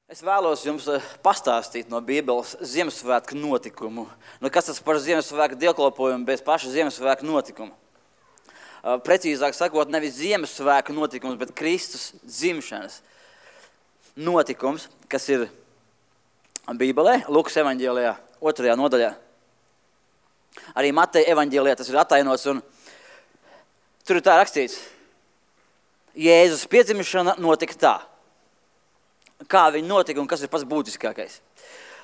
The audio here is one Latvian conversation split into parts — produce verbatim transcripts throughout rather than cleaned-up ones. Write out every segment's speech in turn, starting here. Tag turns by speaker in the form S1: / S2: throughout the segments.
S1: Es vēlos jums pastāstīt no Bībeles Ziemassvētku notikumu. Nu, kas tas par Ziemassvētku dievkalpojumu bez paša Ziemassvētku notikuma? Precīzāk sakot, nevis Ziemassvētku notikums, bet Kristus dzimšanas notikums, kas ir Bībelē, Lukas evaņģēlijā, otrajā nodaļā. Arī Mateja evaņģēlijā tas ir atainots, un tur ir tā rakstīts. Jēzus piedzimšana notika tā. Kā viņi notika un kas ir pats būtiskākais.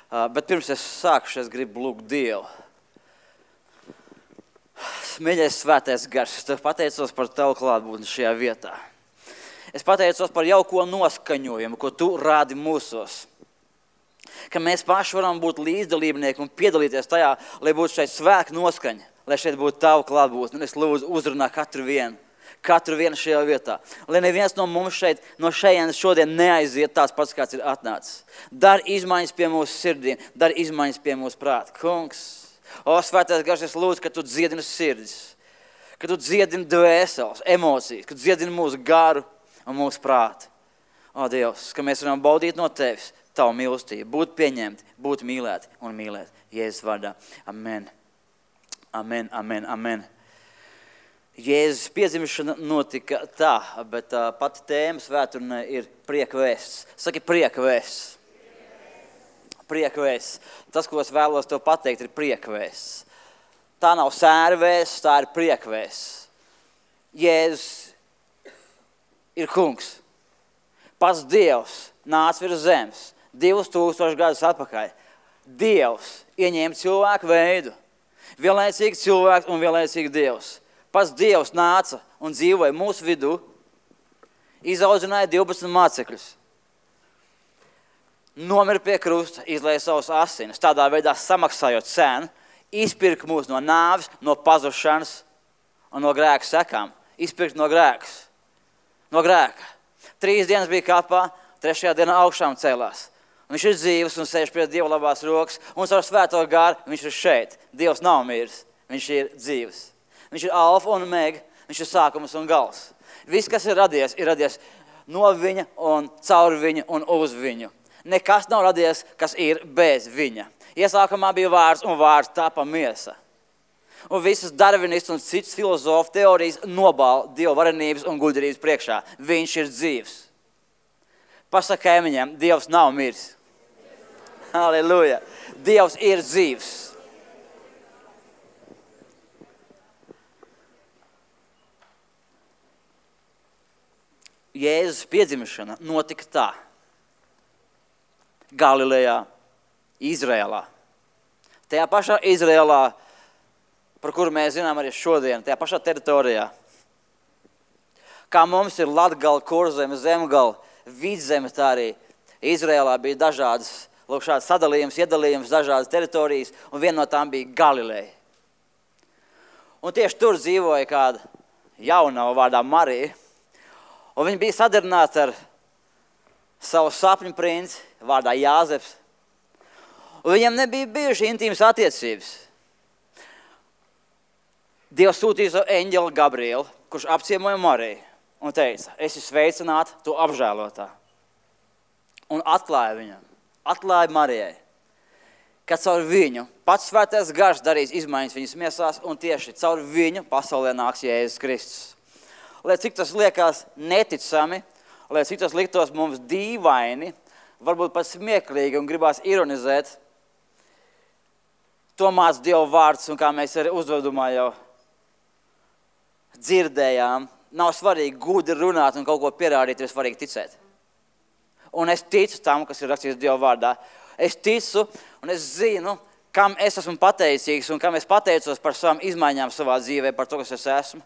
S1: Uh, bet pirms es sākušu, es gribu lūgt Dievu. Mīļais svētais gars, es tev pateicos par tavu klātbūtni šajā vietā. Es pateicos par jauko noskaņojumu, ko tu rādi mūsos. Ka mēs paši varam būt līdzdalībnieki un piedalīties tajā, lai būtu šeit svētku noskaņa, lai šeit būtu tavu klātbūtni. Un es lūdzu uzrunā katru vienu. Katru vienu šajā vietā. Lai neviens no mums šeit, no šejienes šodien neaiziet tāds pats, kāds ir atnācis. Dar izmaiņas pie mūsu sirdīm, dar izmaiņas pie mūsu prāta. Kungs, o svētais gars, es lūdzu, ka tu dziedini sirdis, ka tu dziedini dvēseles, emocijas, ka tu dziedini mūsu garu un mūsu prātu. O Dievs, ka mēs varam baudīt no tevis tavu mīlestību, būt pieņemti, būt mīlēti un mīlēt. Jēzus vārdā. Amen. Amen, amen, amen. Jēzus piedzimšana notika tā, bet uh, pati tēma svētdienai ir prieka vēsts. Saki prieka vēsts. Prieka vēsts. Tas, ko es vēlos tev pateikt, ir prieka vēsts. Tā nav sēra vēsts, tā ir prieka vēsts. Jēzus ir kungs. Pats Dievs nāca virs zemes divus tūkstošus gadus atpakaļ. Dievs ieņēma cilvēku veidu. Vienlaicīgi cilvēks un vienlaicīgi Dievs. Pats Dievs nāca un dzīvoja mūsu vidū, izaudzināja divpadsmit mācekļus. Nomira pie krusta, izlēja savus asinis, tādā veidā samaksājot cenu, izpirka mūs no nāves, no pazušanas un no grēka sekām. Izpirka no grēkas, no grēka. Trīs dienas bija kapā, trešajā dienā augšām cēlās. Un viņš ir dzīvs un sēž pie Dieva labās rokas, un caur svēto garu viņš ir šeit. Dievs nav miris, viņš ir dzīvs. Viņš ir alfa un omega, viņš ir sākums un gals. Viss, kas ir radies, ir radies no viņa un caur viņu un uz viņu. Nekas nav radies, kas ir bez viņa. Iesākumā bija vārds un vārds tapa miesa. Un visas darvinists un citas filozofu teorijas nobāla Dieva varenības un gudrības priekšā. Viņš ir dzīvs. Pasaka kaimiņiem, Dievs nav miris. Halleluja. Dievs ir dzīvs. Jēzus piedzimšana notika tā. Galilejā, Izrēlā. Tajā pašā Izrēlā, par kuru mēs zinām arī šodien, tajā pašā teritorijā. Kā mums ir Latgala, Kurzeme, Zemgala, Vidzeme, tā arī Izrēlā bija dažādas, lūk, šāds sadalījums, iedalījums, dažādas teritorijas, un viena no tām bija Galileja. Un tieši tur dzīvoja kāda jaunava vārdā Marija. Un viņi bija sadarināti ar savu sapņu princi, vārdā Jāzeps. Un viņiem nebija bijuši intīmas attiecības. Dievs sūtīja savu eņģeli Gabrielu, kurš apciemoja Mariju un teica, esi sveicināta, tu apžēlotā. Un atklāja viņam, atklāja Marijai, ka caur viņu pats svētais gars darīs izmaiņas viņas miesās, un tieši caur viņu pasaulē nāks Jēzus Kristus. Lai cik tas liekas neticami, lai cik tas liktos mums dīvaini, varbūt pat smieklīgi un gribās ironizēt, to māc Dieva vārds, un kā mēs arī uzvedumā jau dzirdējām, nav svarīgi gudri runāt un kaut ko pierādīt, ir svarīgi ticēt. Un es ticu tam, kas ir rakstīts Dieva vārdā. Es ticu un es zinu, kam es esmu pateicīgs un kam es pateicos par savām izmaiņām savā dzīvē, par to, kas es esmu.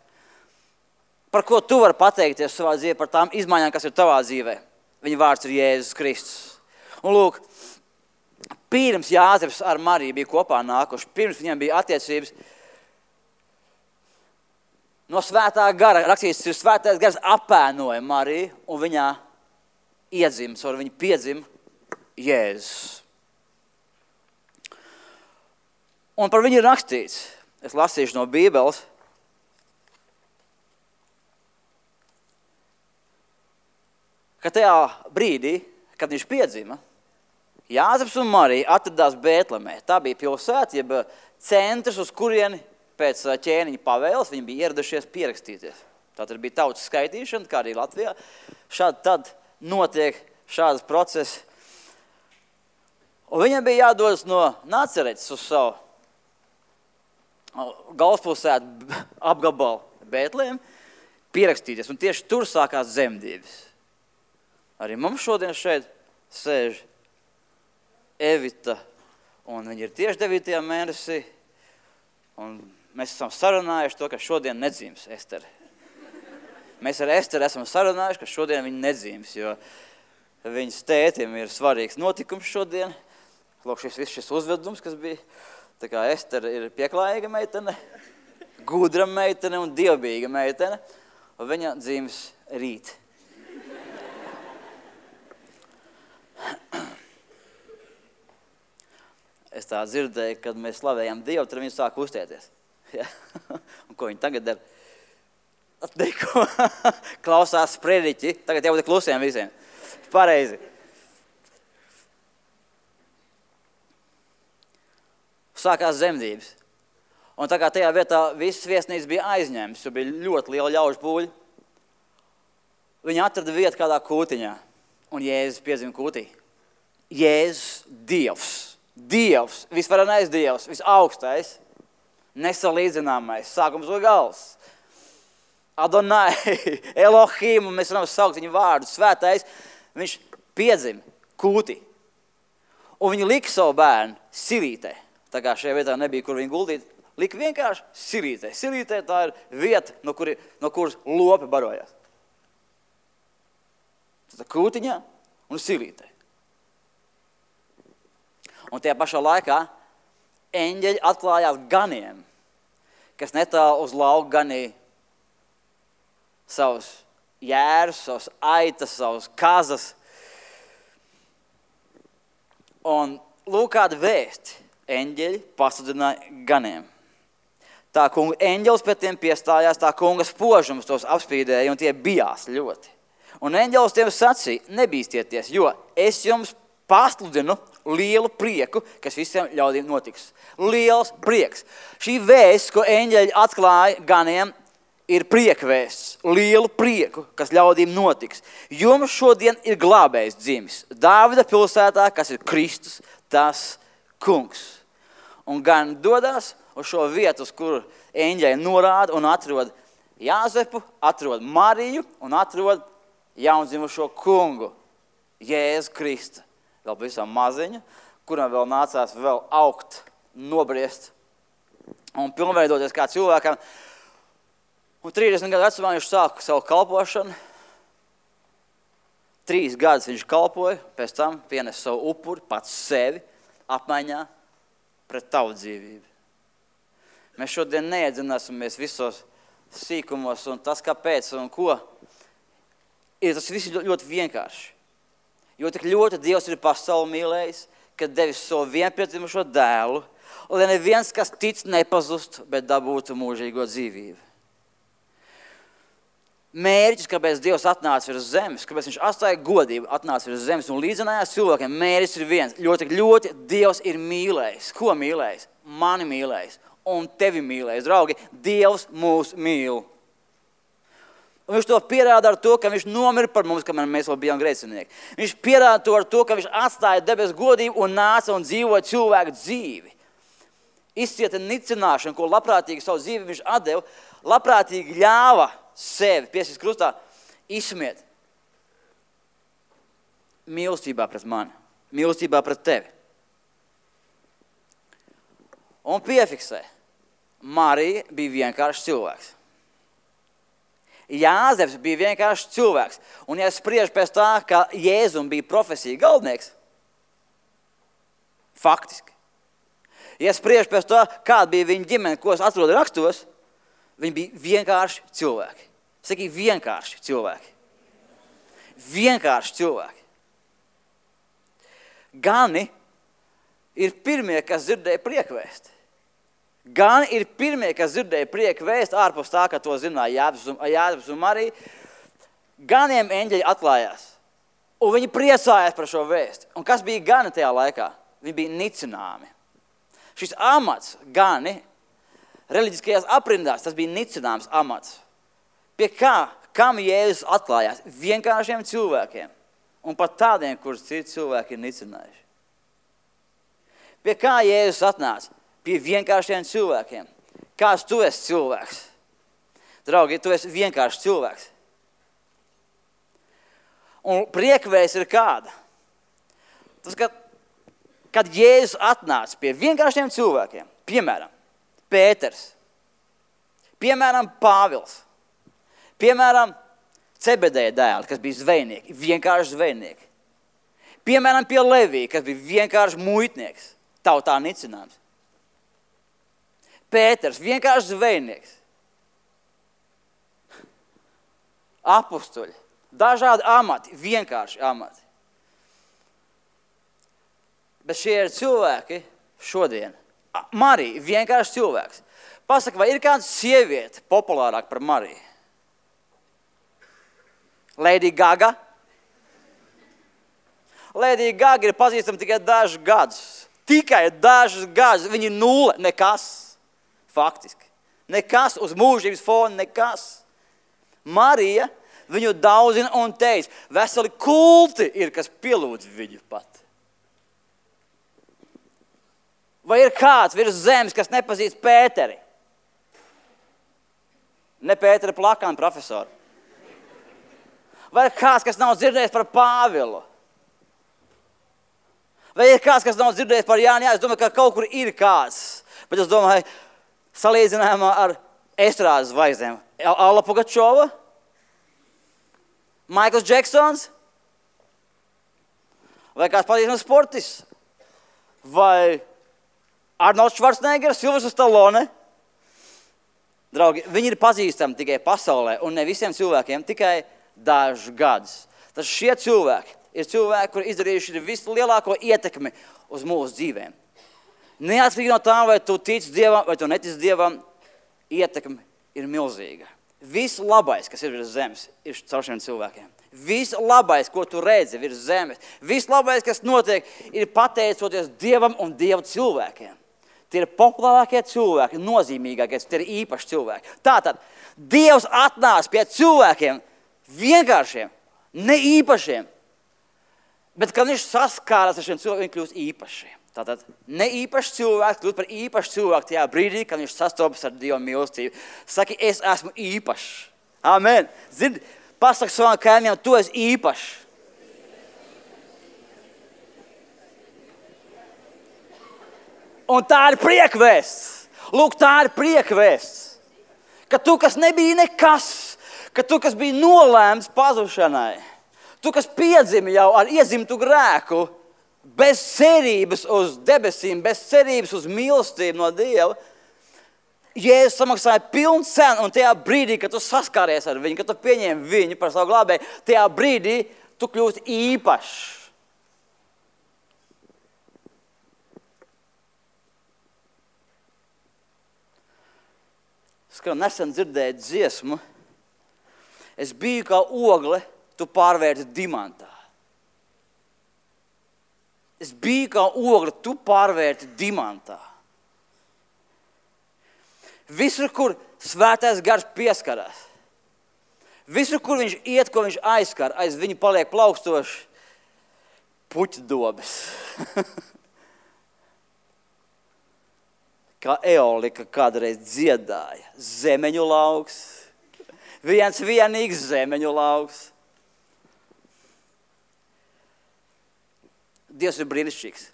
S1: Par ko tu vari pateikties savā dzīvē, par tām izmaiņām, kas ir tavā dzīvē. Viņa vārds ir Jēzus Kristus. Un lūk, pirms Jāzeps ar Mariju bija kopā nākuši, pirms viņiem bija attiecības, no svētā gara, rakstīts, ir svētais gars apēnoja Mariju, un viņā iedzima, caur viņu piedzima Jēzus. Un par viņu ir rakstīts, es lasīšu no Bībeles, ka tajā brīdī, kad viņš piedzima, Jāzeps un Marija atradās Bētlemē. Tā bija pilsēta, jeb centrs, uz kurieni pēc ķēniņa pavēles viņi bija ieradušies pierakstīties. Tātad bija tautas skaitīšana, kā arī Latvijā. Šādi tad notiek šādas procesi. Un viņam bija jādodas no Nacaretes uz savu galvaspilsētu apgabalu Bētlēm, pierakstīties. Un tieši tur sākās dzemdības. Arī mums šodien šeit sēž Evita, un viņa ir tieši devītajā mēnesī, un mēs esam sarunājuši to, ka šodien nedzīmes Estere. Mēs ar Esteru esam sarunājuši, ka šodien viņa nedzīmes, jo viņas tētim ir svarīgs notikums šodien. Lūk, šis viss šis uzvedums, kas bija, tā kā Estere ir pieklājīga meitene, gudra meitene un dievbijīga meitene, un viņa dzīmes rīt. Es tā dzirdēju, kad mēs slavējām Dievu, tad viņi sāk uztēties. Ja? Un ko viņi tagad dara? Neko. Klausās sprediķi. Tagad jābūt klusiem visiem. Pareizi. Sākās dzemdības. Un tā kā tajā vietā visas viesnīcas bija aizņēmas, jo bija ļoti liela ļaužu pūļa, viņi atrada vietu kādā kūtiņā. Un Jēzus piedzima kūtī. Jēzus Dievs. Dievs, visvarenais Dievs, visaugstais, nesalīdzināmais, sākums un gals. Adonai, Elohim, un mēs varam saukt viņu vārdu, svētais, viņš piedzima kūtī. Un viņi lika savu bērnu silītē. Tā kā šajā vietā nebija, kur viņu guldīt, lika vienkārši silītē. Silītē tā ir vieta, no, kuri, no kuras lopi barojās. Tā kūtiņā un silītē. Un tajā pašā laikā eņģeļi atklājās ganiem, kas netālu uz lauku ganīja savus jērus, savus aitas, savus kazas. Un lūk kāda vēsti eņģeļi pasludināja ganiem. Tā kunga eņģelis pēc tiem piestājās, tā kunga spožums tos apspīdēja, un tie bijās ļoti. Un eņģelis tiem sacīja, nebīstieties, jo es jums pasludinu lielu prieku, kas visiem ļaudīm notiks. Liels prieks. Šī vēsts, ko eņģeļi atklāja ganiem, ir priekvēsts. Lielu prieku, kas ļaudīm notiks. Jums šodien ir glābējs dzimis. Dāvida pilsētā, kas ir Kristus, tas kungs. Un gan dodās uz šo vietu, uz kuru eņģeļi norāda un atrod Jāzepu, atrod Mariju un atrod jaundzimušo kungu, Jēzu Kristu. Vēl pavisam maziņu, kuram vēl nācās vēl augt, nobriest un pilnveidoties kā cilvēkam. Un trīsdesmit gadu vecumā viņš sāka savu kalpošanu. Trīs gadus viņš kalpoja, pēc tam pienes savu upuri, pats sevi, apmaiņā pret tavu dzīvību. Mēs šodien neiedzināsimies visos sīkumos un tas, kāpēc un ko. Ir tas viss ļoti vienkārši. Jo tik ļoti Dievs ir pasauli mīlējis, kad devis savu vienpiedzimušo dēlu, lai neviens, kas tic, nepazust, bet dabūtu mūžīgo dzīvību. Mērķis, kāpēc Dievs atnāca virs zemes, kāpēc viņš atstāja godību, atnāca virs zemes un līdzinājās cilvēkiem, mērķis ir viens. Ļoti, ļoti Dievs ir mīlējis. Ko mīlējis? Mani mīlējis un tevi mīlējis. Draugi, Dievs mūs mīl. Un viņš to pierāda ar to, ka viņš nomira par mums, kamēr mēs vēl bijām grēcinieki. Viņš pierāda to ar to, ka viņš atstāja debes godību un nāca un dzīvoja cilvēku dzīvi. Izcieta nicināšanu, ko labprātīgi savu dzīvi viņš atdeva, labprātīgi ļāva sevi, piesīs krustā, izsmiet. Mīlestībā pret mani, mīlestībā pret tevi. Un piefiksē, Marija bija vienkārši cilvēks. Jāzeps bija vienkārši cilvēks. Un ja spriež pēc tā, ka Jēzum bija profesija galvenieks, faktiski. Ja spriež pēc tā, kāda bija viņa ģimene, ko es atrodu rakstos, viņi bija vienkārši cilvēki. Saki, vienkārši cilvēki. Vienkārši cilvēki. Gani ir pirmie, kas dzirdēja priekvēsti. Gan ir pirmie, kas dzirdēja prieku vēst ārpus tā, ka to zināja Jāzeps un Marija. Ganiem eņģeļi atklājās. Un viņi priecājās par šo vēstu. Un kas bija gani tajā laikā? Viņi bija nicināmi. Šis amats, gani, reliģiskajās aprindās, tas bija nicināms amats. Pie kā, kam Jēzus atklājās? Vienkāršiem cilvēkiem. Un pat tādiem, kurus citi cilvēki ir nicinājuši. Pie kā Jēzus atnāca? Pie vienkāršiem cilvēkiem. Kāds tu esi cilvēks? Draugi, tu esi vienkāršs cilvēks. Un priekvēs ir kāda? Tas, ka, kad Jēzus atnāca pie vienkāršiem cilvēkiem, piemēram, Pēters, piemēram, Pāvils, piemēram, Cebedeja dēli, kas bija zvejnieki, vienkārši zvejnieki. Piemēram, pie Levija, kas bija vienkārši muitnieks, tautā nicināms. Pēters, vienkārši zvejnieks. Apustuļi, dažādi amati, vienkārši amati. Bet šie ir cilvēki šodien. Marija, vienkārši cilvēks. Pasaka, vai ir kāda sieviete populārāka par Mariju? Lady Gaga? Lady Gaga ir pazīstama tikai dažus gadus. Tikai dažus gadus. Viņa ir nulle, nekas. Faktiski. Nekas uz mūžības fona, nekas. Marija viņu daudzina un teica, veseli kulti ir, kas pielūdz viņu pat. Vai ir kāds virs zemes, kas nepazīst Pēteri? Ne Pēteri Plakānu profesoru. Vai ir kāds, kas nav dzirdējis par Pāvilu? Vai ir kāds, kas nav dzirdējis par Jāni? Jā, es domāju, ka kaut kur ir kāds. Bet es domāju, salīdzinājumā ar estrādes zvaigznēm. Alla Pugačova? Maikls Džeksons? Vai kāds pazīstams sportists? Vai Arnolds Švarcneggers, Silvestrs Stallone? Draugi, viņi ir pazīstami tikai pasaulē un ne visiem cilvēkiem, tikai dažus gadus. Tas šie cilvēki ir cilvēki, kuri izdarījuši vislielāko ietekmi uz mūsu dzīvēm. Neatkarīgi no tā, vai tu tici Dievam, vai tu netici Dievam, ietekme ir milzīga. Viss labais, kas ir virs zemes, ir caur šiem cilvēkiem. Viss labais, ko tu redzi virs zemes, viss labais, kas notiek, ir pateicoties Dievam un Dieva cilvēkiem. Tie ir populārākie cilvēki, nozīmīgākie, tie ir īpaši cilvēki. Tātad, Dievs atnāca pie cilvēkiem vienkāršiem, ne īpašiem, bet kad viņš saskārās ar šiem cilvēkiem, viņi kļūst īpašiem. Tātad, ne īpaši cilvēks kļūst par īpašu cilvēku tajā brīdī, kad viņš sastopas ar Dieva mīlestību. Saki, es esmu īpašs. Amen. Zini, pasaki savam kaimiņam, tu esi īpašs. Un tā ir priekvēsts. Lūk, tā ir priekvēsts. Ka tu, kas nebija nekas, ka tu, kas bija nolēmts pazušanai, tu, kas piedzimi jau ar iedzimtu grēku, bez cerības uz debesīm, bez cerības uz mīlestību no Dieva, Jēzus samaksāja pilnu cenu, un tajā brīdī, kad tu saskāries ar viņu, kad tu pieņēmi viņu par savu glābēju, tajā brīdī tu kļūsti īpašs. Es kā nesen dzirdēju dziesmu, es biju kā ogle, tu pārvērti dimantā. Es biju kā ogle, tu pārvērti dimantā. Visur, kur svētais gars pieskarās, visur, kur viņš iet, ko viņš aizskar, aiz viņu paliek plaukstoši puķu dobes. Kā Eolika kādreiz dziedāja, zemeņu lauks, viens vienīgs zemeņu lauks. Dievs ir brīnišķīgs.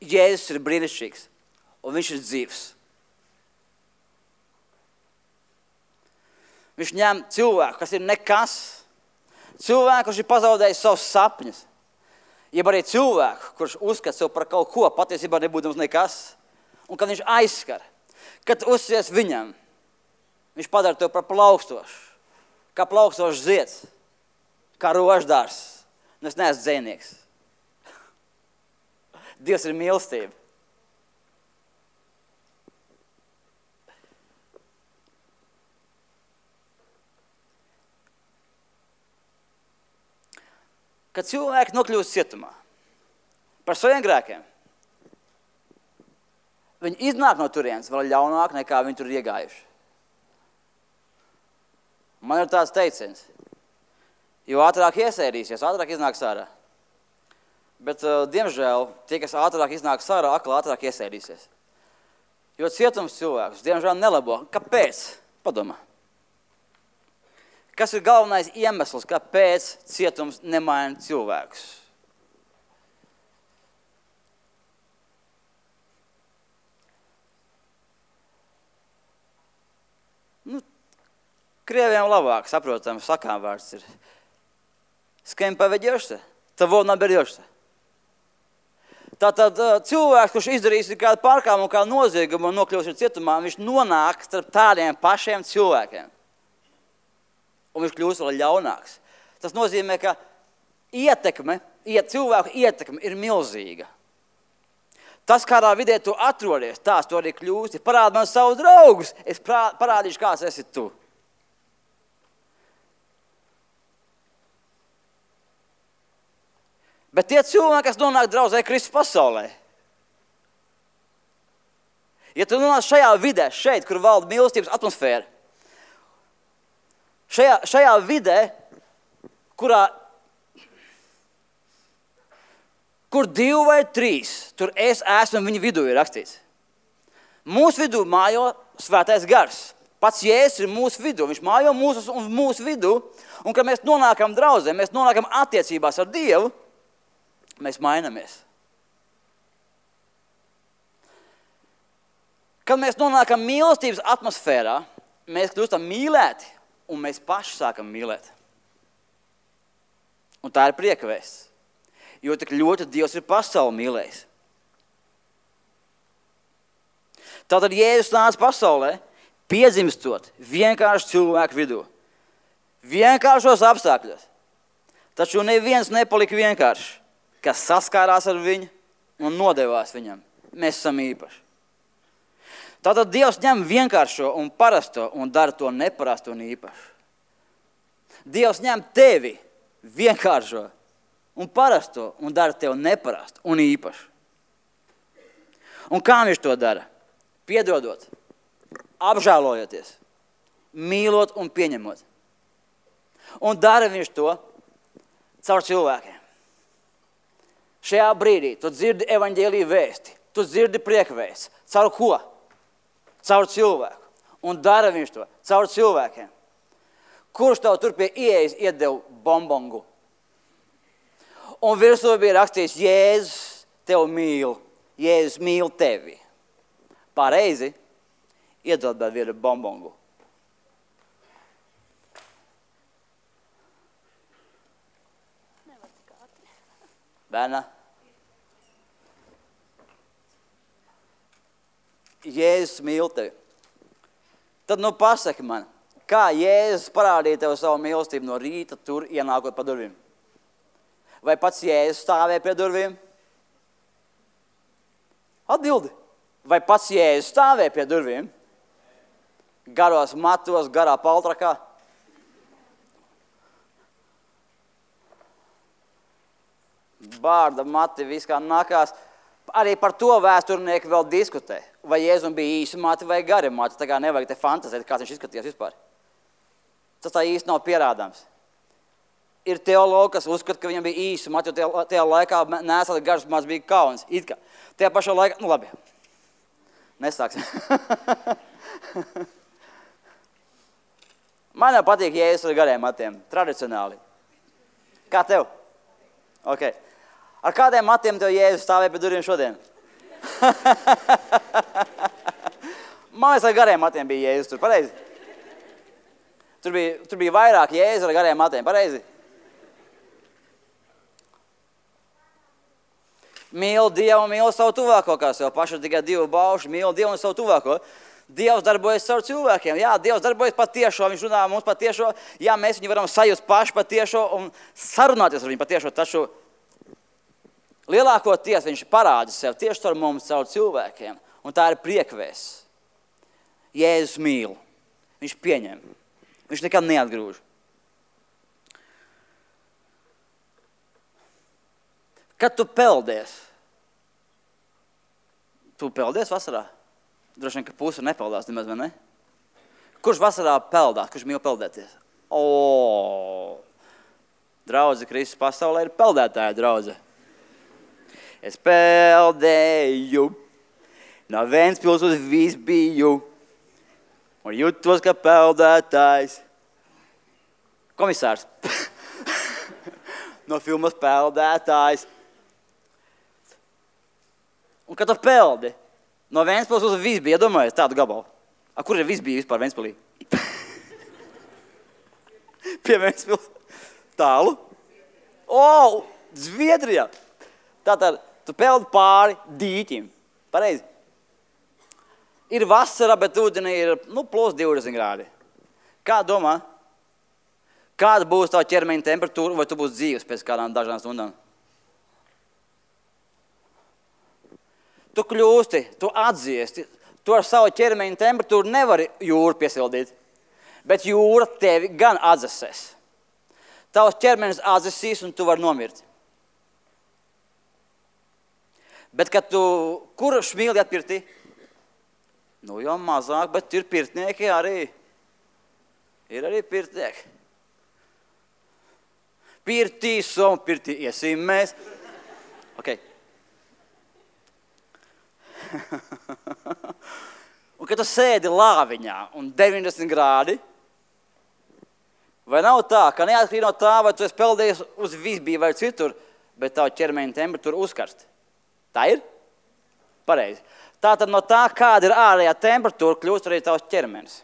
S1: Jēzus ir brīnišķīgs, un viņš ir dzīvs. Viņš ņem cilvēku, kas ir nekas, cilvēku, kurš ir pazaudējis savus sapņus, jeb arī cilvēku, kurš uzskata sev par kaut ko, patiesībā nebūdams nekas, un kad viņš aizskar, kad uzsies viņam, viņš padara tev par plaukstošu, kā plaukstošs zieds, kā roždārs, un es neesmu dzejnieks. Dievs ir mīlestība. kad cilvēki nokļūst cietumā par saviem grēkiem, viņi iznāk no turienes vēl ļaunāk, nekā viņi tur iegājuši. Man ir tāds teiciens, jo ātrāk iesēdīsies, ātrāk iznāks ārā. Bet, uh, diemžēl, tie, kas ātrāk iznāks ārā, akli ātrāk iesēdīsies. Jo cietums cilvēkus, diemžēl, nelabo. Kāpēc? Padomā. Kas ir galvenais iemesls, kāpēc cietums nemaina cilvēkus? Nu, krieviem labāk, saprotam, sakām vārds ir. С кем поведешься, того наберешься. Tātad cilvēks, kurš izdarīs kādu pārkāpumu un kādu noziegumu un nokļūs cietumā, viņš nonāk starp tādiem pašiem cilvēkiem. Un viņš kļūst vēl ļaunāks. Tas nozīmē, ka ietekme, iet, cilvēku ietekme ir milzīga. Tas, kādā vidē tu atrodies, tās tu arī kļūsti. Parādi man savus draugus, es parādīšu, kāds esi tu. Bet tie cilvēki, kas nonāk draudzē Kristus pasaulē, ja tu nonāk šajā vidē, šeit, kur valda mīlestības atmosfēra, šajā, šajā vidē, kurā, kur divi vai trīs, tur es esmu viņu vidū ir rakstīts. Mūsu vidū mājo svētais gars. Pats Jēzus ir mūsu vidū, viņš mājo mūsu un mūsu vidū, un kad mēs nonākam draudzē, mēs nonākam attiecībās ar Dievu, mēs mainamies. Kad mēs nonākam mīlestības atmosfērā, mēs kļūstam mīlēti, un mēs paši sākam mīlēt. Un tā ir prieka vēsts, jo tik ļoti Dievs ir pasauli mīlējis. Tātad Jēzus nāca pasaulē, piedzimstot vienkārši cilvēku vidū. Vienkāršos apstākļos. Taču neviens nepalika vienkārši, kas saskārās ar viņu un nodevās viņam. Mēs esam īpaši. Tātad Dievs ņem vienkāršo un parasto un dara to neparastu un īpašu. Dievs ņem tevi vienkāršo un parasto un dara tev neparastu un īpašu. Un kā viņš to dara? Piedodot, apžēlojoties, mīlot un pieņemot. Un dara viņš to caur cilvēkiem. Šajā brīdī tu dzirdi evaņģēliju vēsti, tu dzirdi priekvēsti. Caur ko? Caur cilvēku. Un dara viņš to caur cilvēkiem. Kurš tev tur pie ieejas iedeva bombongu? Un virsū bija rakstīts, Jēzus tev mīl, Jēzus mīl tevi. Pareizi, iedod vēl vienu bombongu. Bērna? Jēzus mīl tevi. Tad nu pasaki man, kā Jēzus parādīja tev savu mīlestību no rīta tur ienākot pa durvīm? Vai pats Jēzus stāvēja pie durvīm? Atbildi. Vai pats Jēzus stāvēja pie durvīm? Garos matos, garā paltrakā? Bārda, mati, viss kā nākās. Arī par to vēsturnieki vēl diskutē. Vai Jēzum bija īsi mati vai gari mati. Tā kā nevajag te fantazēt, kāds viņš izskatījās vispār. Tas tā īsti nav pierādāms. Ir teologi, kas uzskata, ka viņam bija īsi mati, jo tajā, tajā laikā nesat garš mats bija kauns. It kā. Tajā pašā laikā, nu labi, nesāksim. Man jau patīk Jēzus ar gariem matiem, tradicionāli. Kā tev? Ok. Ar kādiem matiem tev Jēzus stāvēja pie durvīm šodien? Man liekas, ar gariem matiem bija Jēzus tur, pareizi? Tur bija, tur bija vairāk Jēzus ar gariem matiem, pareizi? Mīl Dievu un mīl savu tuvāko, kā sev pašu tikai divu baušu, mīl Dievu un savu tuvāko. Dievs darbojas caur cilvēkiem. Jā, Dievs darbojas patiešo, viņš runā mums patiešo. Jā, mēs viņu varam sajust paši patiešo un sarunāties ar viņu patiešo, taču lielākoties viņš parāda sev tieši caur mums, caur cilvēkiem. Un tā ir priekvēsts. Jēzus mīl. Viņš pieņem. Viņš nekad neatgrūž. Kad tu peldies? Tu peldies vasarā? Droši vien, ka puse nepeldās nemaz, vai ne? Kurš vasarā peldās? Kurš mīl peldēties? O, draudze Kristus pasaulē ir peldētāja draudze. Es peldēju, no Ventspils uz Visbiju, un jutos, ka peldētājs. Komisārs. No filmas Peldētājs. Un kad tu peldi, no Ventspils uz Visbiju, iedomājies tādu gabalu. A, kur ir Visbija vispār Ventspilī? Pie Ventspils. Tālu. O, Zviedrijā. Tātad, tu peldi pāri dīķim. Pareizi. Ir vasara, bet ūdenī ir, nu, plus divdesmit grādi. Kā domā? Kāda būs tava ķermeņa temperatūra, vai tu būsi dzīves pēc kādām dažām stundām? Tu kļūsti, tu atdziesti, tu ar savu ķermeņa temperatūru nevari jūru piesildīt, bet jūra tevi gan atdzesēs. Tavs ķermenis atdzesīs un tu vari nomirt. Bet, kad tu, kur šmīli atpirti? Nu, jau mazāk, bet ir pirtnieki arī. Ir arī pirtnieki. Pirtī, som, pirtī, iesim mēs. Ok. Un, kad tu sēdi lāviņā un deviņdesmit grādi, vai nav tā, ka neatkarīgi no tā, vai tu esi peldējies uz Visbiju vai citur, bet tavu ķermeņa temperatūra uzkarst? Tā ir? Pareizi. Tātad no tā, kāda ir ārējā temperatūra, kļūst arī tavs ķermenis.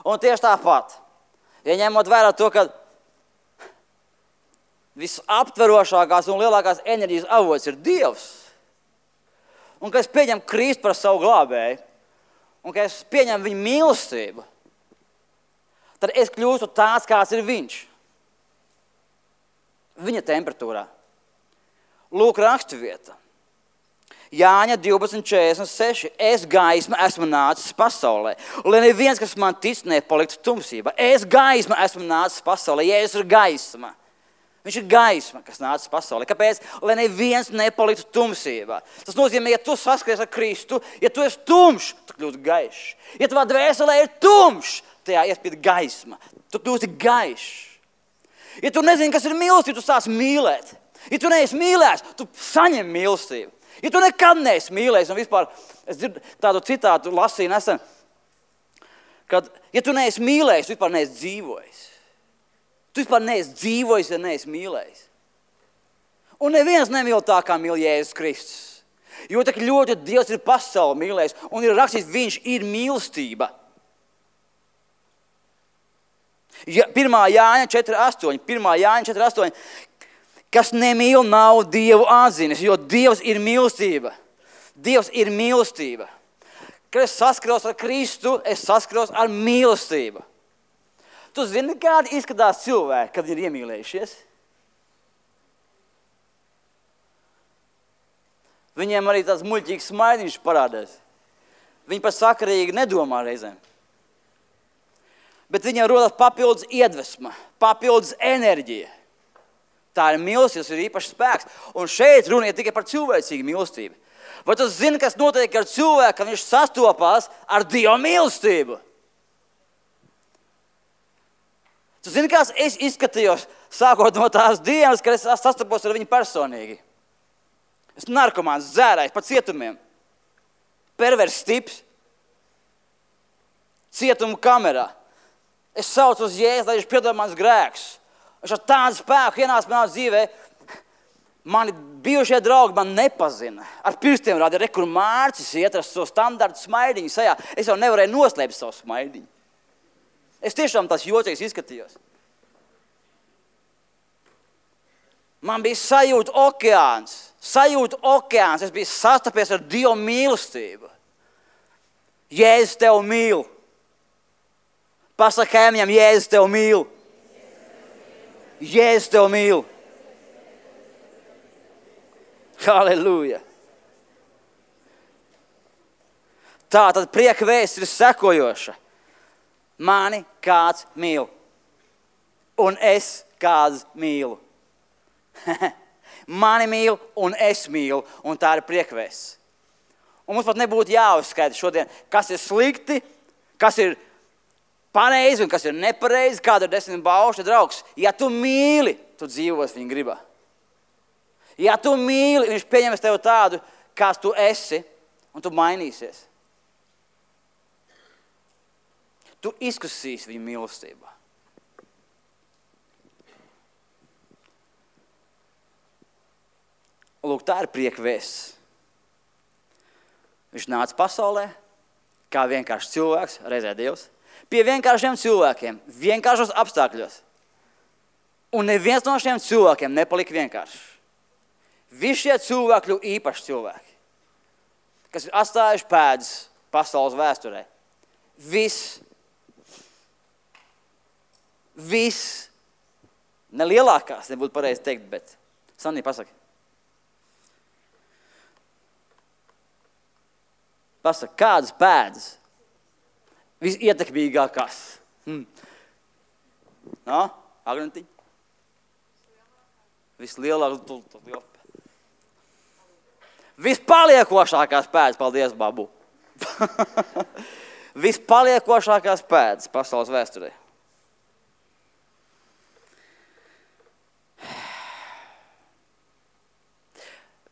S1: Un tieši tāpat, ja ņemot vērā to, ka visaptverošākās un lielākās enerģijas avots ir Dievs, un ka es pieņemu Kristu par savu glābēju, un ka es pieņemu viņa mīlestību, tad es kļūstu tāds, kāds ir viņš. Viņa temperatūrā. Lūk, raksturvieta. Jāņa divpadsmit četrdesmit seši. Es gaisma esmu nācis pasaulē. Lai neviens, kas man tic, nepaliktu tumsībā. Es gaisma esmu nācis pasaulē. Jēzus ir gaisma. Viņš ir gaisma, kas nācis pasaulē. Kāpēc? Lai neviens nepaliktu tumsībā. Tas nozīmē, ja tu saskaries ar Kristu, ja tu esi tumšs, tu kļūsi gaišs. Ja tavā dvēselē ir tumšs, tajā iespīd gaisma. Tu kļūsi gaišs. Ja tu nezini, kas ir mīlestība, tu sāc mīlēt. Ja tu neesi mīlēs, tu saņem mīlestību. Ja tu nekad neesi mīlējis, un vispār, es dzirdu tādu citātu lasīju nesen, kad, ja tu neesi mīlējis, tu vispār neesi dzīvojis. Tu vispār neesi dzīvojis, ja neesi mīlējis. Un neviens nemīl tā, kā mīl Jēzus Kristus. Jo tak ļoti Dievs ir pasauli mīlējis, un ir rakstīts, viņš ir mīlestība. Ja, pirmā Jāņa četri astoņi, pirmā Jāņa četri astoņi, kas nemīl, nav Dievu atzinis, jo Dievs ir mīlestība. Dievs ir mīlestība. Kad es saskaros ar Kristu, es saskaros ar mīlestību. Tu zini, kādi izskatās cilvēki, kad ir iemīlējušies? Viņiem arī tāds muļķīgs smaidiņš parādās. Viņi pat sakarīgi nedomā reizēm. Bet viņiem rodas papildus iedvesma, papildus enerģija. Tā ir mīlestība, tas ir īpašs spēks. Un šeit runa ir tikai par cilvēcīgu mīlestību. Vai tu zini, kas notiek ar cilvēku, kad viņš sastopās ar Dieva mīlestību? Tu zini, kāds es izskatījos, sākot no tās dienas, kad es sastapos ar viņu personīgi. Es narkomāns, zērājs, pa cietumiem. Pervers tips. Cietumu kamerā. Es saucu uz Jēzu, lai viņš piedod mans grēkus. Viņš ar tādu spēku ienāca manā dzīvē. Mani bijušie draugi man nepazina. Ar pirkstiem rāda, re, kur Mārcis iet ar savu standartu smaidiņu sajā. Es jau nevarēju noslēpt savu smaidiņu. Es tiešām tās jocīgs izskatījos. Man bija sajūta okeāns. Sajūta okeāns. Es biju sastapies ar Dievu mīlestību. Jēzus tev mīl. Pasaka kaimiņam, Jēzus tev mīl. Jēzus tev mīl. Halleluja. Tā tad prieka vēsts ir sekojoša. Mani kāds mīl. Un es kāds mīlu. Mani mīl un es mīlu, un tā ir priekvēsts. Un mums pat nebūtu jāuzskaita šodien, kas ir slikti, kas ir pareizi un kas ir nepareizi, kāda ir desmit baušļa draugs. Ja tu mīli, tu dzīvos viņa gribā. Ja tu mīli, viņš pieņems tevi tādu, kāds tu esi, un tu mainīsies. Tu izkusīsi viņa mīlestībā. Lūk, tā ir prieka vēsts. Viņš nāca pasaulē, kā vienkārši cilvēks, reizē Dievs, pie vienkāršiem cilvēkiem, vienkāršos apstākļos. Un neviens no šiem cilvēkiem nepalika vienkārši. Visi šie cilvēki kļuva īpaši cilvēki, kas ir atstājuši pēdas pasaules vēsturē. Viss, viss, ne lielākās, nebūtu pareizi teikt, bet Sanī, pasaki. Pasaka, kādas pēdas? Visietekmīgākās. Hmm. No? Agnentiņ? Vislielākās. Vispaliekošākās pēdas. Paldies, babu. Vispaliekošākās pēdas pasaules vēsturē.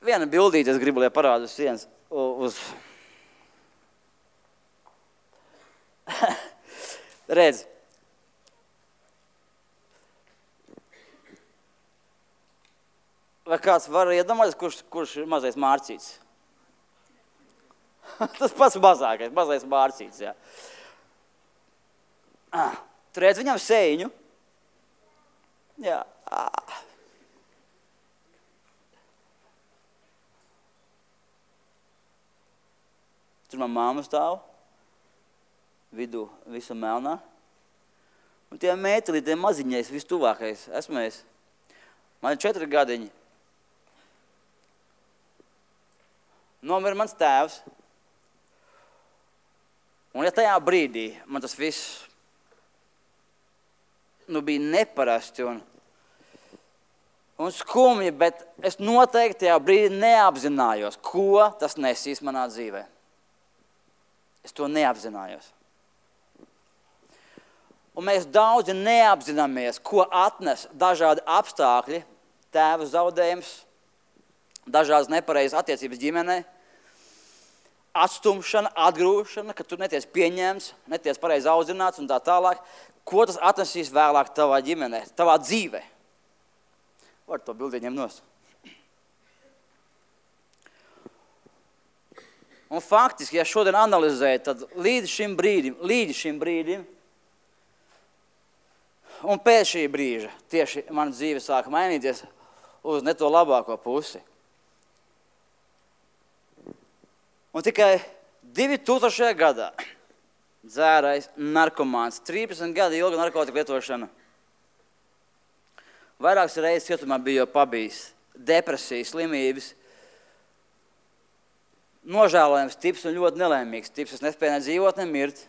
S1: Viena bildīte, es gribu, lai parādu uz sienas. Uz... Redz. Vai kāds var iedomāties, kurš, kurš ir mazais Mārcīts? Tas pats mazākais, mazais Mārcīts, jā. Ah, tu redz viņam sēņu? Jā. Ah. Tur man māma stāv. Vidū visu melnā. Un tie mēteli, tie maziņais, vistuvākais, esmu es. Man ir četri gadiņi. Nomira mans tēvs. Un ja tajā brīdī man tas viss nu, bija neparasti un, un skumji, bet es noteikti tajā brīdī neapzinājos, ko tas nesīs manā dzīvē. Es to neapzinājos. Un mēs daudzi neapzināmies, ko atnes dažādi apstākļi, tēva zaudējums, dažādas nepareizas attiecības ģimenē, atstumšana, atgrūšana, ka tu neties pieņemts, neties pareizi audzināts un tā tālāk. Ko tas atnesīs vēlāk tavā ģimenē, tavā dzīvē? Var to bildi ņemt nos. Un faktiski, ja šodien analizēju, tad līdz šim brīdim, līdz šim brīdim, un pēc šī brīža tieši mana dzīve sāka mainīties uz ne to labāko pusi. Un tikai divi tūkstošajā gadā dzērais, narkomāns, trīsdesmit gadi ilga narkotika lietošana. Vairākas reizes cietumā bija jau pabijis, depresijas, slimības, nožēlojams tips un ļoti nelēmīgs tips. Es nespēju ne dzīvot, ne mirt.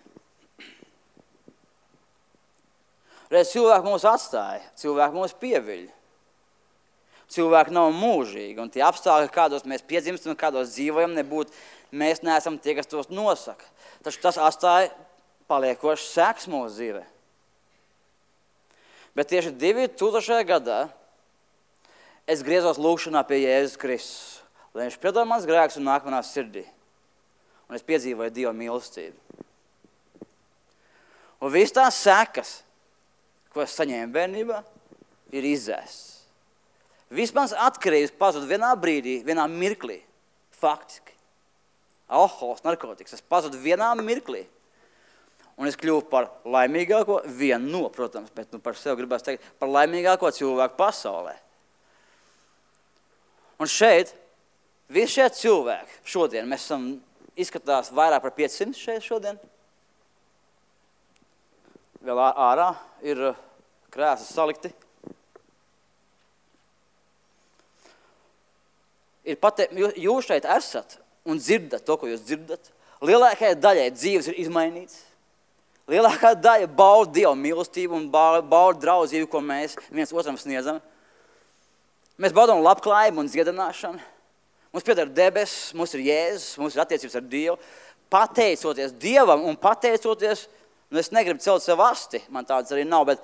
S1: Reiz cilvēki mūs atstāja, cilvēki mūs pieviļ. Cilvēki nav mūžīgi, un tie apstākļi, kādos mēs piedzimstam un kādos dzīvojam, nebūtu, mēs neesam tie, kas tos nosaka. Taču tas atstāja paliekošas sekas mūsu dzīvē. Bet tieši divi tūkstošajā gadā es griezos lūgšanā pie Jēzus Kristus, lai viņš piedod mans grēks un nāk manā sirdī. Un es piedzīvoju Dieva mīlestību. Un viss tās sekas, ko es saņēmu bērnībā, ir izzēsts. Viss mans atkarības pazud vienā brīdī, vienā mirklī, faktiski. Alkohols, narkotikas, es pazudu vienā mirklī. Un es kļuvu par laimīgāko, vienu no, protams, bet nu par sevi gribētu teikt, par laimīgāko cilvēku pasaulē. Un šeit, visi šie cilvēki, šodien, mēs esam izskatās vairāk par piecsimt šeit šodien. Vēl ārā ir krēsli salikti. Ir pat, jūs šeit esat un dzirdat to, ko jūs dzirdat. Lielākajai daļai dzīves ir izmainīts. Lielākā daļa bauda Dieva mīlestību un bauda draudzību, ko mēs viens otram sniedzam. Mēs baudām labklājību un dziedināšanu. Mums pieder debesis, mums ir Jēzus, mums ir attiecības ar Dievu. Pateicoties Dievam un pateicoties, nu es negribu celt sev asti, man tāds arī nav, bet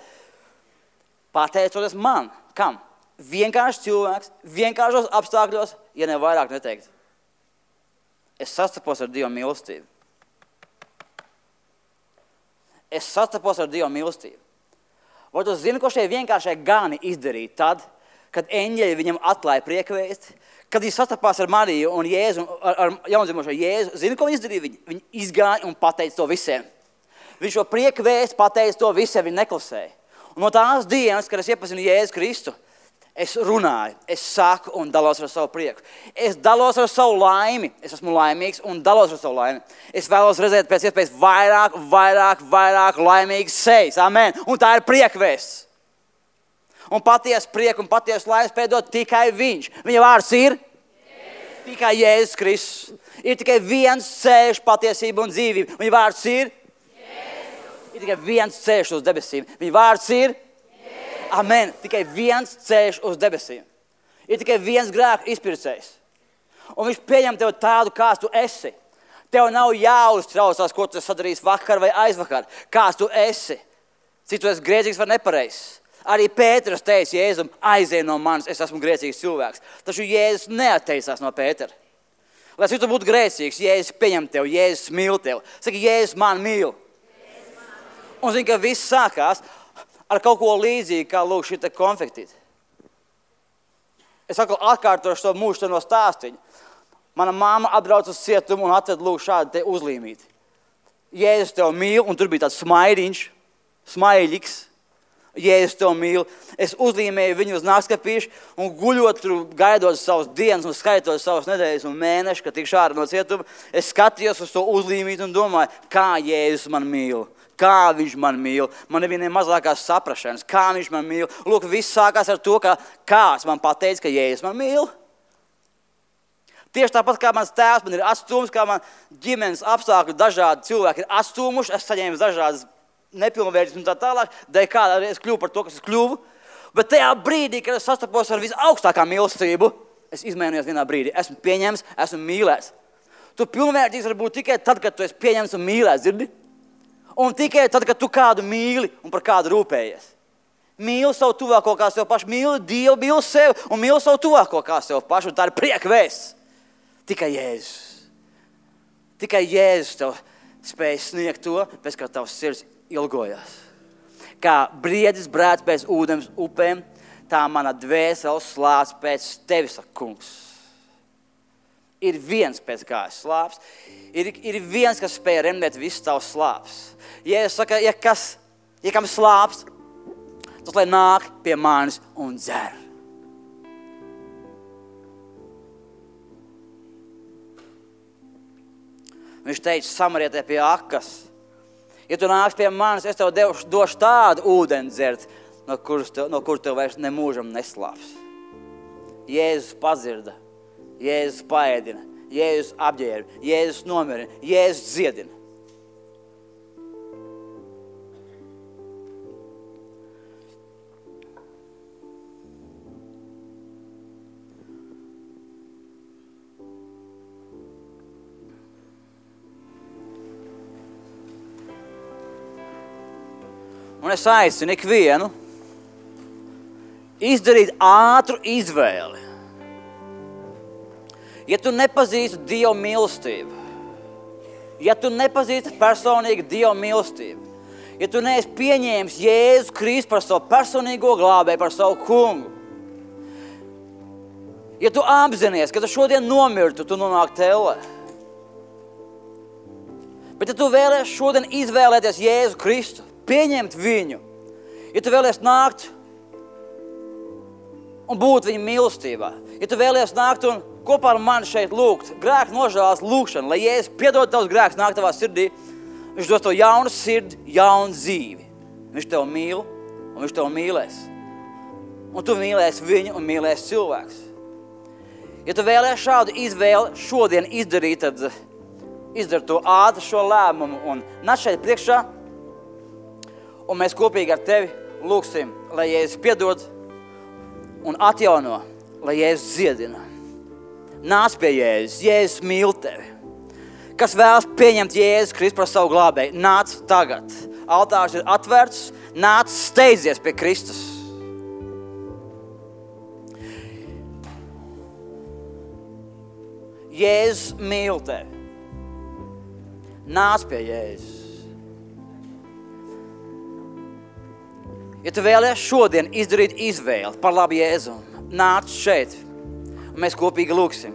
S1: pateicoties man, kam? Vienkārši cilvēks, vienkāršos apstākļos, ja ne vairāk neteikt. Es sastapos ar Dieva mīlestību. Es sastapos ar Dieva mīlestību. Vai tu zini, ko šie vienkāršie gani izdarīja tad, kad eņģeļi viņam atklāja priekvēsti, kad viņi sastapās ar Mariju un Jēzu, ar, ar jaundzimušo Jēzu, zini, ko viņi izdarīja? Viņi, viņi izgāja un pateica to visiem. Viņš šo priekvēsti pateica to visiem, viņi neklasēja. Un no tās dienas, kad es iepazinu Jēzu Kristu, es runāju, es saku un dalos ar savu prieku. Es dalos ar savu laimi, es esmu laimīgs un dalos ar savu laimi. Es vēlos redzēt pēc iespējas vairāk, vairāk, vairāk laimīgas sejas. Amen. Un tā ir priekvēsts. Un patiesa prieka un patiesa laimes piedod tikai viņš. Viņa vārds ir Jēzus. Tikai Jēzus Kristus. Ir tikai viens ceļš, patiesība un dzīvība. Viņa vārds ir Jēzus. Ir tikai viens ceļš uz debesīm. Viņa vārds ir Jēzus. Amen. Tikai viens ceļš uz debesīm. Ir tikai viens grēku izpircējs. Un viņš pieņem tevi tādu, kāds tu esi. Tev nav jāuztraucās, ko tu sadarīsi vakar vai aizvakar. Kāds tu esi. Cik tu esi grēcīgs vai nepareizs. Arī Pēters teica Jēzum, aizej no manis, es esmu grēcīgs cilvēks. Taču Jēzus neatteicās no Pētera. Lai cik tu būtu grēcīgs, Jēzus pieņem tev, Jēzus mīl tev. Saka, Jēzus man mīl. Un zini, ka viss sākās ar kaut ko līdzīgu, kā lūk šita konfektīte. Es atkal atkārtošu to mūžu no stāstiņu. Mana māma atbrauc uz cietumu un atved lūk šādu te uzlīmīti. Jēzus tev mīl, un tur bija tāds smaidiņš, smaiļiks. Jēzus tev mīl. Es uzlīmēju viņu uz nakskapīšu un guļot tur, gaidot savas dienas un skaitot savas nedēļas un mēnešus, kad tikšu ārā no cietuma, es skatījos uz to uzlīmīti un domāju, kā Jēzus man mīl, kā viņš man mīl. Man nebija ne mazākās saprašanas, kā viņš man mīl. Lūk, viss sākās ar to, ka kāds man pateica, ka Jēzus man mīl. Tieši tāpat kā mans tēvs man ir atstūmis, kā man ģimenes apstākļi dažādi cilvēki ir atstūmuši, es saņēmu dažādas nepilnvērtības un tā tālāk, dēļ kādā es kļuvu par to, kas es kļuvu. Bet tajā brīdī, kad es sastapos ar visaugstākā mīlestību, es izmainījos vienā brīdī. Esmu pieņemts, esmu mīlēts. Tu pilnvērtīgs var būt tikai tad, kad tu esi pieņemts un mīlēts, dzirdi? Un tikai tad, kad tu kādu mīli un par kādu rūpējies. Mīli savu tuvāko kā sev pašu, mīli Dievu, mīli sev un mīli savu tuvāko kā sev pašu. Un tā ir prieka vēsts. Tikai Jēzus. Tikai Jēzus tev spēj sniegt to, pēc kā tavs sirds ilgojās. Kā briedis brēc pēc ūdens upēm, tā mana dvēsele slāps pēc tevis, kungs. Ir viens pēc kā es slāps, ir, ir viens, kas spēj remdēt visu tavs slāps. Ja es saka, ja kas, ja kam slāps, tas lai nāk pie manis un dzer. Viņš teica samarietē pie akas, ja tu nāks pie manis, es tev devuši, došu tādu ūdeni dzert, no kuras tev, no kur tev vairs nemūžam neslāps. Jēzus padzirda, Jēzus paēdina, Jēzus apģērba, Jēzus nomierina, Jēzus dziedina. Un es aicinu ikvienu izdarīt ātru izvēli. Ja tu nepazīsti Dieva mīlestību, ja tu nepazīsti personīgi Dieva mīlestību, ja tu neesi pieņēmis Jēzu Kristu par savu personīgo glābēju, par savu kungu, ja tu apzinies, ka tu šodien nomirtu, tu nonāk tellē. Bet ja tu vēlies šodien izvēlēties Jēzu Kristu, pieņemt viņu, ja tu vēlies nākt un būt viņa mīlestībā, ja tu vēlies nākt un kopā ar mani šeit lūgt, grēku nožēlas lūgšanu, lai Jēzus piedod tavs grēks, nāk tavā sirdī, viņš dos tev jaunu sirdi, jaunu dzīvi. Viņš tev mīl un viņš tev mīlēs. Un tu mīlēsi viņu un mīlēsi cilvēks. Ja tu vēlies šādu izvēli šodien izdarīt, tad izdari to ātri šo lēmumu un nāc šeit priekšā, un mēs kopīgi ar tevi lūgsim, lai Jēzus piedod un atjauno lai Jēzus dziedina. Nāc pie Jēzus, Jēzus mīl tevi. Kas vēlas pieņemt Jēzus Kristu par savu glābēju, nāc tagad. Altārs ir atvērts, nāc steidzies pie Kristus. Jēzus mīl tevi. Nāc pie Jēzus. Ja tu vēlies šodien izdarīt izvēli par labu Jēzu, nāc šeit, un mēs kopīgi lūksim.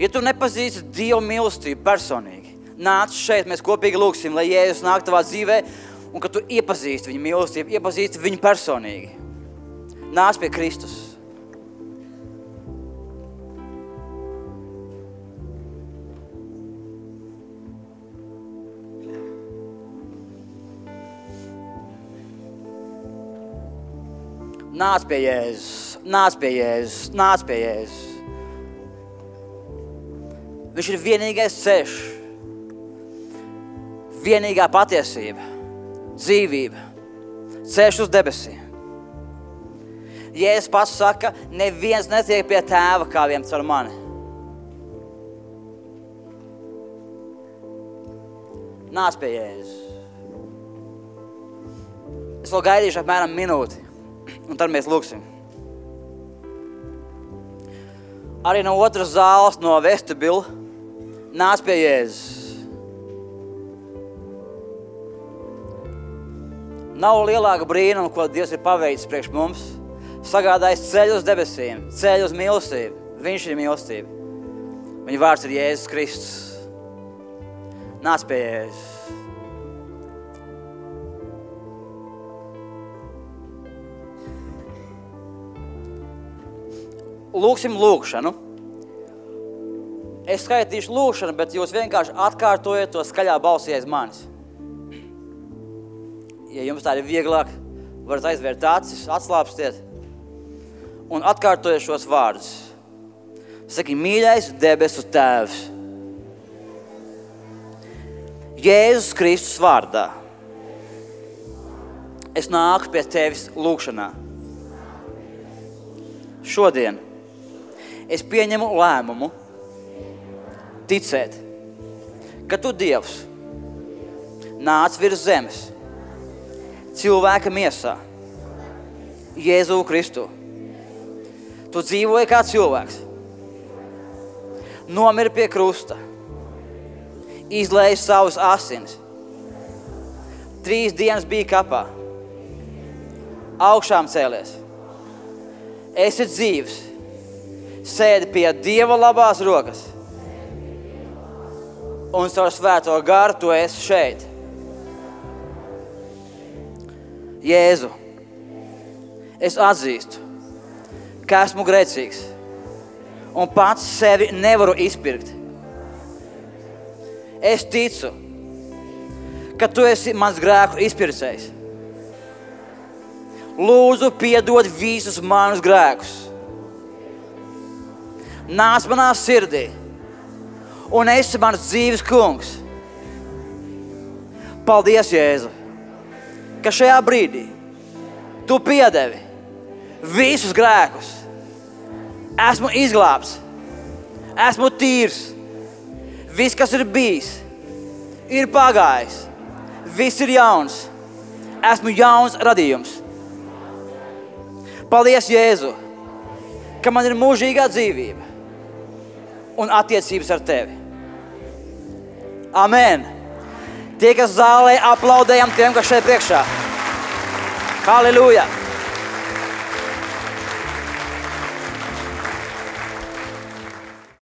S1: Ja tu nepazīsti Dievu mīlestību personīgi, nāc šeit, mēs kopīgi lūksim, lai Jēzus nāk tavā dzīvē, un ka tu iepazīsti viņu mīlestību, iepazīsti viņu personīgi. Nāc pie Kristus. Nāc pie Jēzus, nāc pie Jēzus, nāc pie Jēzus. Viņš ir vienīgais ceļš, vienīgā patiesība, dzīvība, ceļš uz debesīm. Jēzus pats saka, neviens netiek pie tēva kā vien caur mani. Nāc pie Jēzus. Es vēl gaidīšu apmēram minūti. Un tad mēs lūksim. Arī no otras zāles, no vestibila, nāc pie Jēzus. Nav lielāka brīnuma, ko Dievs ir paveicis priekš mums. Sagādājis ceļu uz debesīm, ceļu uz mīlestību. Viņš ir mīlestība. Viņa vārds ir Jēzus Kristus. Nāc pie Jēzus. Lūksim lūkšanu. Es skaitīšu lūkšanu, bet jūs vienkārši atkārtojiet to skaļā balsī aiz manis. Ja jums tā ir vieglāk, varat aizvērt acis, atslāpstiet un atkārtojiet šos vārdus. Saki, mīļais debesu Tēvs, Jēzus Kristus vārdā. Es nāku pie Tevis lūkšanā. Šodien es pieņemu lēmumu ticēt, ka Tu, Dievs, nāc virs zemes, cilvēka miesā, Jēzu Kristu. Tu dzīvoji kā cilvēks, nomiri pie krusta, izlēji savus asinis, trīs dienas bija kapā, augšām cēlies, esi dzīvs, sēdi pie Dieva labās rokas un caur svēto garu Tu esi šeit. Jēzu, es atzīstu, ka esmu grēcīgs un pats sevi nevaru izpirkt. Es ticu, ka Tu esi mans grēku izpircējs. Lūdzu, piedod visus manus grēkus. Nāc manā sirdī un esi mans dzīves kungs. Paldies, Jēzu, ka šajā brīdī Tu piedevi visus grēkus. Esmu izglābts, esmu tīrs. Viss, kas ir bijis, ir pagājis. Viss ir jauns. Esmu jauns radījums. Paldies, Jēzu, ka man ir mūžīgā dzīvība un attiecības ar Tevi. Amen. Tie, kas zālē, aplaudējam tiem, kas šeit priekšā. Halleluja.